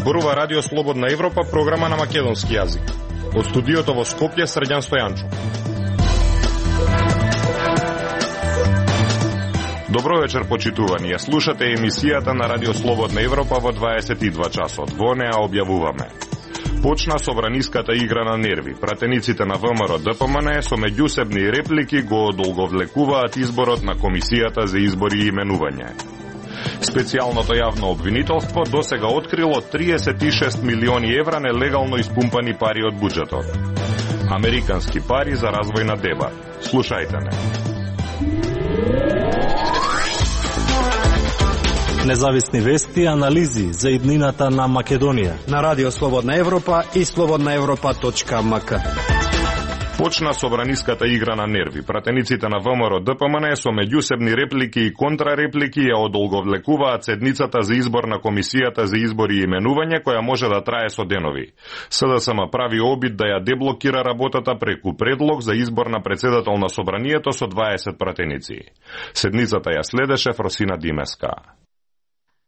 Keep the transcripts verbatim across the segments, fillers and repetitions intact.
Зборува Радио Слободна Европа, програма на македонски јазик. Од студиото во Скопје, Срđan Стојанчо. Добро вечер, почитувани. Ја слушате емисијата на Радио Слободна Европа во дваесет и два часот. Во неа објавуваме: почна собраниската игра на нерви. Пратениците на ВМРО Д П М Н со меѓусебни реплики го одолговлекуваат изборот на Комисијата за избори и именување. Специјалното јавно обвинителство досега открило триесет и шест милиони евра нелегално испумпани пари од буџетот. Американски пари за развојна деба. Слушајте не. Независни вести и анализи за иднината на Македонија на Радио Слободна Европа и слободна европа точка м к. Почна собраниската игра на нерви. Пратениците на ВМРО Д П М Н со меѓусебни реплики и контрареплики ја одолговлекуваат седницата за избор на Комисијата за избори и именување, која може да трае со денови. С Д С М прави обид да ја деблокира работата преку предлог за избор на председател на собранието со дваесет пратеници. Седницата ја следеше Фросина Димеска.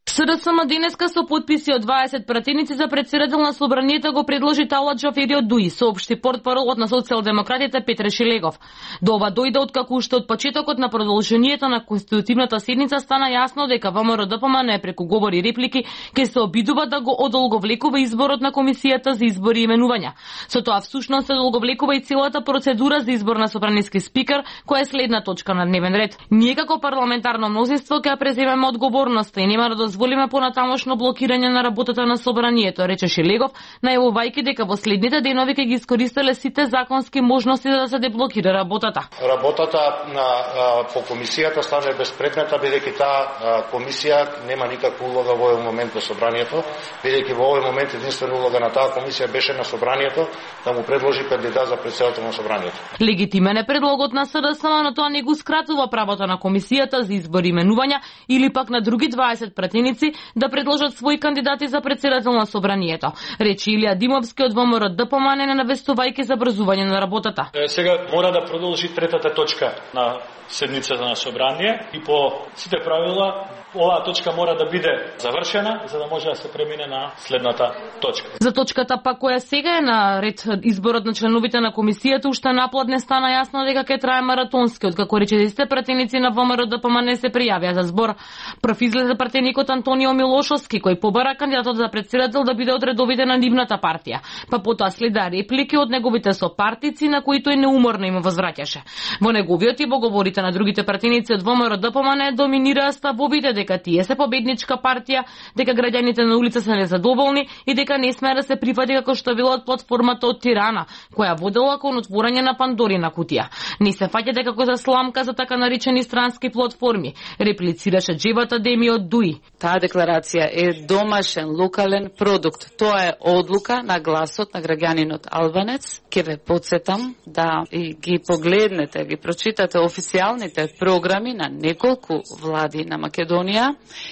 С Д С М денеска со потписи од дваесет пратеници за председател на собранието го предложи Талат Џафери од ДУИ, соопшти портпаролот на социјалдемократите Петре Шилегов. До ова дојде откако уште од почетокот на продолжението на конститутивната седница стана јасно дека ВМРО Д П М Н преку говори и реплики ќе се обидува да го одолговлекува изборот на Комисијата за избори и именувања. Со тоа всушност се одолговлекува и целата процедура за избор на собраниски спикер, која е следна точка на дневен ред. Ние како парламентарно мнозинство ќе преземеме одговорноста и нема да дозволиме понатамошно блокирање на работата на собранието, рече Шилегов, најавувајќи дека во следните денови ќе ги искористеле сите законски можности за да се деблокира работата. Работата на а, по комисијата стане безпредметна, бидејќи таа комисија нема никаква улога во овој момент во собранието, бидејќи во овој момент единствена улога на таа комисија беше на собранието да му предложи кандидат за председател на собранието. Легитимен е предлогот на С Д С М, но тоа не го скратува правото на комисијата за избори и именувања или пак на други дваесет пратеници да предложат своји кандидати за председател на собранието, рече Илија Димовски од ВМРО Д П М Н, навестувајќи за брзување на работата. Сега мора да продолжи третата точка на седницата на собрание и по сите правила оваа точка мора да биде завршена за да може да се премине на следната точка. За точката пак која сега е на ред изборот на членовите на комисијата, уште напладне стана јасно дека ќе трае маратонски, откако речедесете пратеници на ВМРО Д П М Н се пријавија за збор. Прв излезе пратеникот Антонио Милошовски, кој побара кандидатот за председател да биде од редовите на нивната партија. Па потоа следа реплики од неговите сопартици на кои тој неуморно им возвраќаше. Во неговиот и во говорите на другите пратеници од ВМРО Д П М Н доминираа ставовите дека тие се победничка партија, дека граѓаните на улица се незадоволни и дека не смее да се прифати како што било од платформата од Тирана, која водела кон отворање на Пандорина кутија. Не се фаќате како за сламка за така наречени странски платформи, реплицираше Џевата Деми од ДУИ. Таа декларација е домашен, локален продукт. Тоа е одлука на гласот на граѓанинот албанец. Ке ве подсетам да и ги погледнете, ги прочитате официјалните програми на неколку влади на Македонија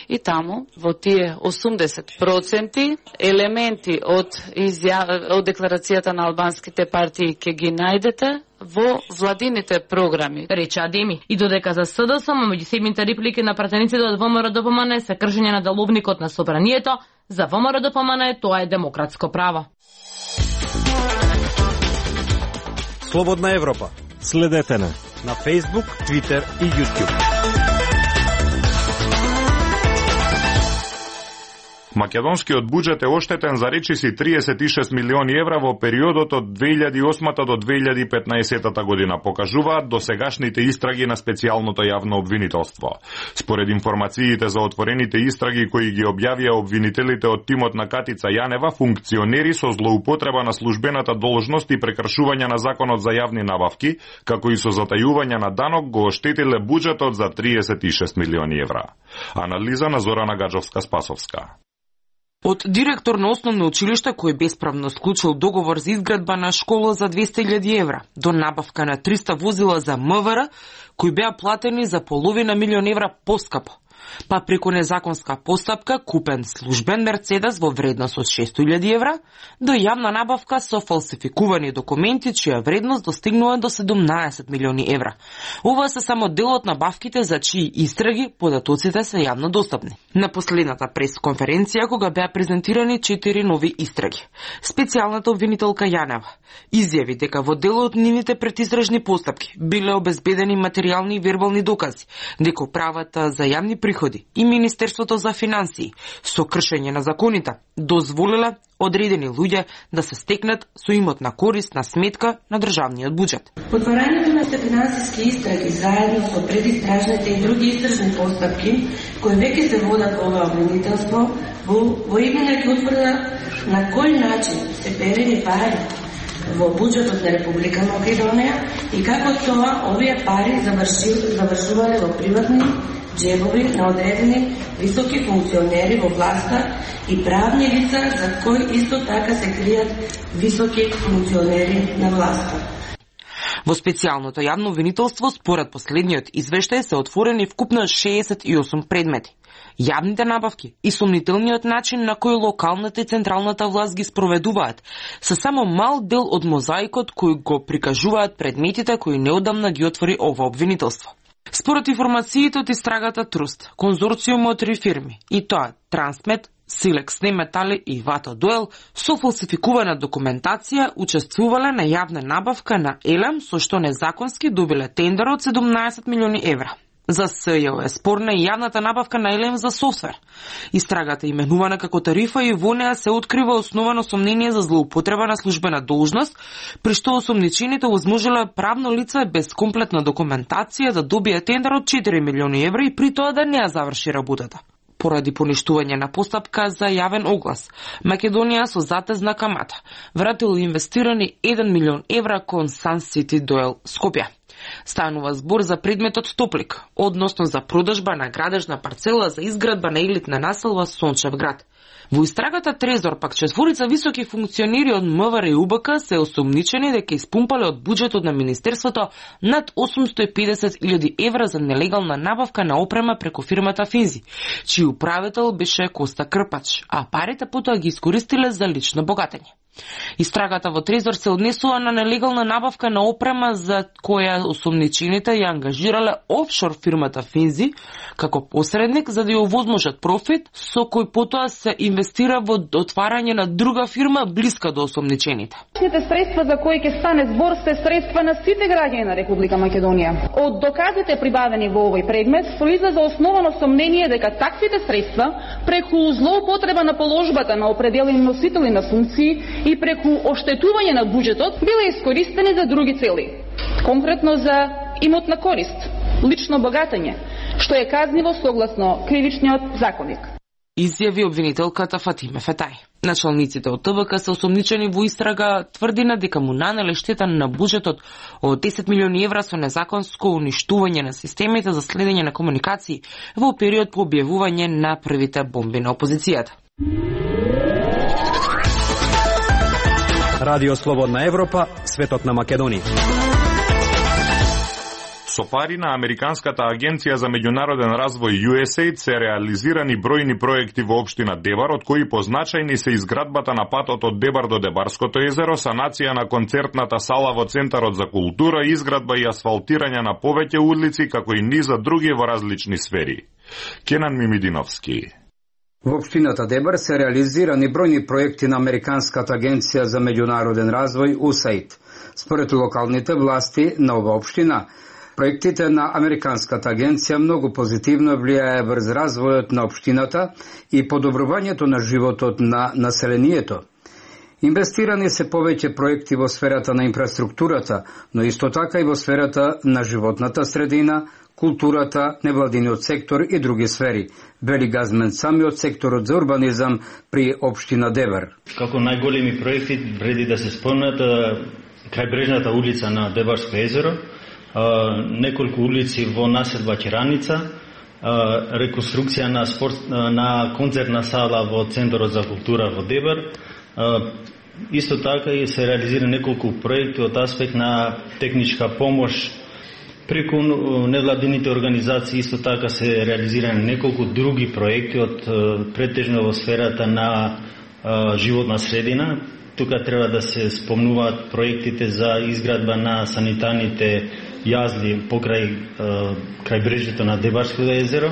и таму во тие осумдесет проценти елементи од изја... од декларацијата на албанските партии ќе ги најдете во владините програми, рече Адеми. И додека за С Д С М меѓусебните реплики на пратениците од ВМРО Д П М Н се кршење на деловникот на собранието, за ВМРО Д П М Н тоа е демократско право. Слободна Европа. Следете на на Facebook, Twitter и YouTube. Македонскиот буџет е оштетен за речиси триесет и шест милиони евра во периодот од две илјади и осма до две илјади и петнаесета година, покажуваат досегашните истраги на специјалното јавно обвинителство. Според информациите за отворените истраги кои ги објавија обвинителите од тимот на Катица Јанева, функционери со злоупотреба на службената должност и прекршување на законот за јавни набавки, како и со затајување на данок, го оштетиле буџетот за триесет и шест милиони евра. Анализа на Зорана Гаджовска-Спасовска. Од директор на основно училиште кој бесправно склучил договор за изградба на школа за двесте илјади евра, до набавка на триста возила за М В Р, кои беа платени за половина милион евра поскапо. па преку незаконска постапка купен службен Мерцедес во вредност од шесто илјади евра, до јавна набавка со фалсификувани документи чија вредност достигнува до седумнаесет милиони евра. Ова се само дел од набавките за чии истраги податоците се јавно достапни. На последната пресконференција, кога беа презентирани четири нови истраги, специјалната обвинителка Јанева изјави дека во дел од нивните предистражни постапки биле обезбедени материјални и вербални докази, дека управата за јавни приходи и Министерството за финансии со кршење на законите дозволила одредени луѓе да се стекнат со имотна корист на сметка на државниот буџет. Отварањето на финансиски истраги заедно со предистражните и други истражни постапки кои веќе се водат во ова обвинителство во, во имена ќе утврда на кој начин се перени пари во буџетот на Република Македонија и како тоа овие пари завршувале во приватни джебови на одредени високи функционери во власта и правни лица за кои исто така се кријат високи функционери на власта. Во специјалното јавно обвинителство, според последниот извештај, се отворени вкупно шеесет и осум предмети. Јавните набавки и сомнителниот начин на кој локалната и централната власт ги спроведуваат се само мал дел од мозаикот кој го прикажуваат предметите кои неодамна ги отвори ова обвинителство. Според информациите од истрагата Труст, конзорциум од три фирми, и тоа Трансмет, Силекс Неметали и Вато Дуел, со фалсификувана документација учествувале на јавна набавка на Елем, со што незаконски добиле тендер од седумнаесет милиони евра. За СЈО е спорна и јавната набавка на Елем за софтвер. Истрагата именувана како тарифа и во неа се открива основано сомнение за злоупотреба на службена должност, при што осомничените возможеле правно лице без комплетна документација да добие тендер од четири милиони евра и при тоа да не ја заврши работата. Поради поништување на постапка за јавен оглас, Македонија со затезна камата вратил инвестирани еден милион евра кон Sun City Duel Скопје. Станува збор за предметот Топлик, односно за продажба на градежна парцела за изградба на елитна населба Сончев град. Во истрагата Трезор пак четворица високи функционери од МВР и УБК се осомничени дека испумпале од буџетот на Министерството над осумсто и педесет илјади евра за нелегална набавка на опрема преку фирмата Финзи, чиј управител беше Коста Крпач, а парите потоа ги искористиле за лично богатење. Истрагата во Трезор се однесува на нелегална набавка на опрема за која осомничените ја ангажирале офшор фирмата Финзи како посредник за да ја овозможат профит со кој потоа се инвестира во отварање на друга фирма блиска до осомничените. Сите средства за кои ќе стане збор се средства на сите граѓани на Република Македонија. Од доказите прибавени во овој предмет произлезе основано сомнение дека таквите средства преку злоупотреба на положбата на определени носители на функции и преку оштетување на буџетот биле искористени за други цели, конкретно за имотна корист, лично богатење, што е казниво согласно кривичниот законник. Изјави обвинителката Фатиме Фетај. Началниците од ТВК се осомничени во истрага тврдина дека му нанеле штета на буџетот од десет милиони евра со незаконско уништување на системите за следење на комуникации во период по објавување на првите бомби на опозицијата. Радио Слободна Европа, светот на Македонија. Со пари на Американската агенција за меѓународен развој ю ес ей ай ди се реализирани бројни проекти во општина Дебар, од кои позначајни се изградбата на патот од Дебар до Дебарското езеро, санација на концертната сала во Центарот за култура, изградба и асфалтирање на повеќе улици, како и низа други во различни сфери. Кенан Мимидиновски. Во општината Дебар се реализирани бројни проекти на Американската агенција за меѓународен развој ю ес ей ай ди. Според локалните власти на ова општина, проектите на Американската агенција многу позитивно влијае врз развојот на општината и подобрувањето на животот на населението. Инвестирани се повеќе проекти во сферата на инфраструктурата, но исто така и во сферата на животната средина, културата, невладиниот сектор и други сфери, вели Газмен Сами од секторот за урбанизам при општина Дебар. Како најголеми проекти вреди да се спомнат крајбрежната улица на Дебарско езеро, неколку улици во населба Кераница, реконструкција на спорт на концертна сала во Центарот за култура во Дебар. Исто така и се реализира неколку проекти од аспект на техничка помош Преку невладините организации исто така се реализирани неколку други проекти од претежно во сферата на животна средина. Тука треба да се спомнуваат проектите за изградба на санитарните јазди покрај крајбрежјето на Дебарското езеро.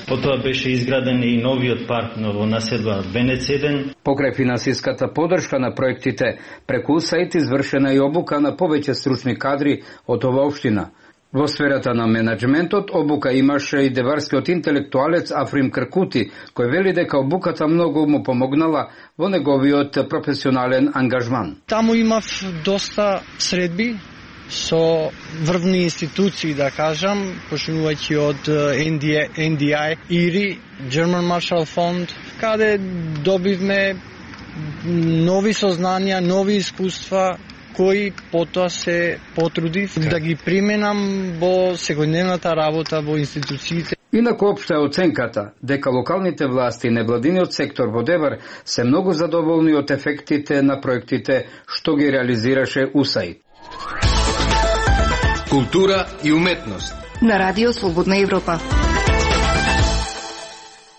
Потоа беше изграден и новиот парк во населба Венец еден. Покрај финансиската подршка на проектите, преку УСАИД извршена и обука на повеќе стручни кадри од ова општина. Во сферата на менеджментот обука имаше и деварскиот интелектуалец Африм Кркути, кој вели дека обуката многу му помогнала во неговиот професионален ангажман. Таму имав доста средби со врвни институции, да кажам, почнувајќи од Ен Ди Ај, И Р И, German Marshall Fund, каде добивме нови сознанија, нови искуства, кои потоа се потрудив да ги применам во секојдневната работа во институциите. Инаку општа е оценката дека локалните власти и невладиниот сектор во Девар се многу задоволни од ефектите на проектите што ги реализираше УСАИД. Култура и уметност на Радио Слободна Европа.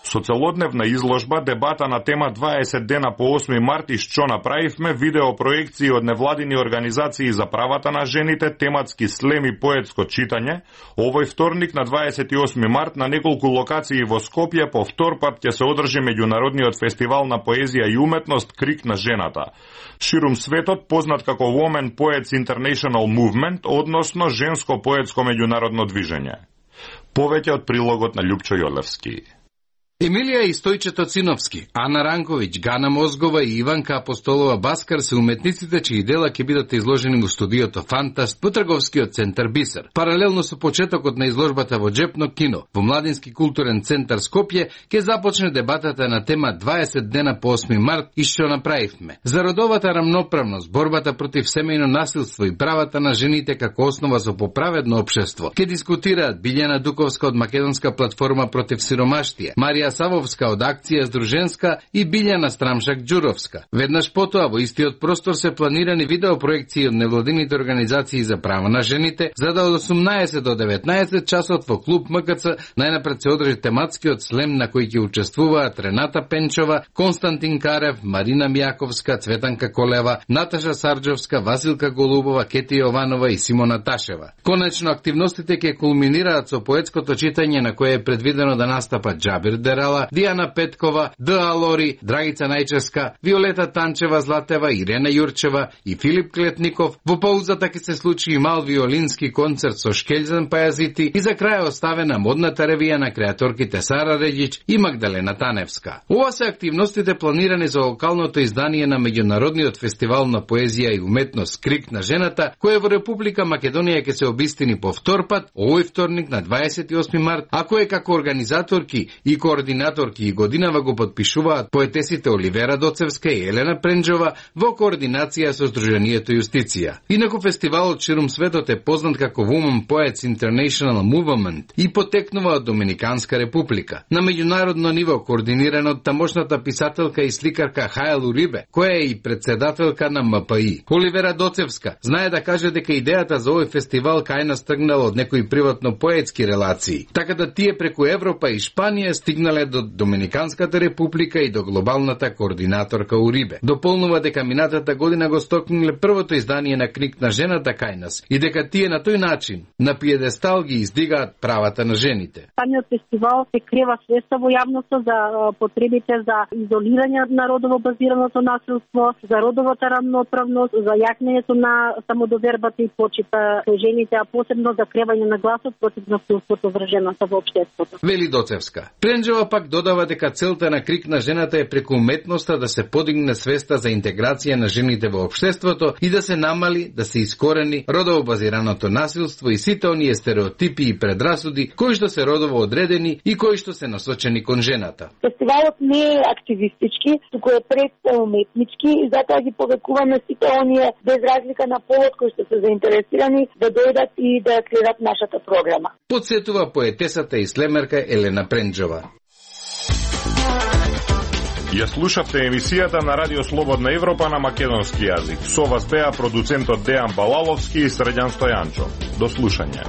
Со целодневна изложба, дебата на тема дваесет дена по осми март и што направивме, видео проекции од невладини организации за правата на жените, тематски слем и поетско читање, овој вторник на дваесет и осми март на неколку локации во Скопје по втор пат ќе се одржи меѓународниот фестивал на поезија и уметност Крик на жената. Ширум светот познат како Women Poets International Movement, односно женско поетско меѓународно движење. Повеќе од прилогот на Љупчо Јолевски. Емилија и Стојчето Циновски, Ана Ранковиќ, Гана Мозгова и Иванка Апостолова Баскар се уметниците чии дела ќе бидат изложени во студиото Фантаст во трговскиот центар Бисер. Паралелно со почетокот на изложбата во Джепно кино, во Младински културен центар Скопје ќе започне дебатата на тема дваесет дена по осми март и што направивме. За родовата рамноправност, борбата против семејно насилство и правата на жените како основа за поправедно општество ќе дискутираат Билјана Дуковска од Македонска платформа против сиромаштија, Марија Савовска од Акција Здруженска и Билјана Страмшак Ѓуровска. Веднаш потоа во истиот простор се планирани видеопроекции од невладините организации за права на жените, за да од осумнаесет до деветнаесет часот во клуб М К Ц најнапред се одржи тематскиот слем на кој ќе учествуваат Рената Пенчова, Константин Карев, Марина Мјаковска, Цветанка Колева, Наташа Сарџовска, Василка Голубова, Кети Јованова и Симона Ташева. Конечно активностите ќе кулминираат со поетското читање на кое е предвидено да настапат Џабир Дерала, Дијана Петкова, Д А Лори, Драгица Најческа, Виолета Танчева Златева, Ирена Јурчева и Филип Клетников. Во паузата ќе се случи и мал виолински концерт со Шкелзен Пајазити и за крај оставена модната ревија на креаторките Сара Редиќ и Магдалена Таневска. Ова се активностите планирани за локалното издание на меѓународниот фестивал на поезија и уметност Крик на жената, кој во Република Македонија ќе се обистини по втор пат овој вторник на дваесет и осми март, а кој како организаторки и координаторки и годинава го подпишуваат поетесите Оливера Доцевска и Елена Пренџова во координација со Сдруженијето Јустиција. Инаку фестивалот ширум светот е познат како Women Poets International Movement и потекнува од Доминиканска република. На меѓународно ниво координиран од тамошната писателка и сликарка Хајл Урибе, која е и председателка на М П И. Оливера Доцевска знае да каже дека идејата за овој фестивал кај нас тргнала од некои приватно поетски релации, така да тие преку Европа и Шпанија стигнале до Доминиканската република и до глобалната координаторка Урибе. Дополнува дека минатата година го стокниле првото издание на Крик на жената кај нас и дека тие на тој начин на пиедестал ги издигаат правата на жените. Самиот фестивал се крева свеста во јавноста за потребите за изолирање на родово базираното насилство, за родовата рамноправност, за јакнењето на самодовербата и почита со жените, а посебно за кревање на гласот против насилството врз жената во општеството. Вели Доцевска. Пренџова пак додава дека целта на Крик на жената е преку уметноста да се подигне свеста за интеграција на жените во општеството и да се намали, да се искорени родово базираното насилство и сите оние стереотипи и предрасуди кои што се родово одредени и кои што се насочени кон жената. Фестивалот не е активистички, туку е пред уметнички и затоа ги повекуваме сите оние без разлика на полот кои што се заинтересирани да дојдат и да следат нашата програма. Подсетува поетесата и слемерка Елена Пренџова. Ја слушавте емисијата на Радио Слободна Европа на македонски јазик. Со вас беа продуцентот Дејан Балаловски и Средјан Стојанчо. До слушање.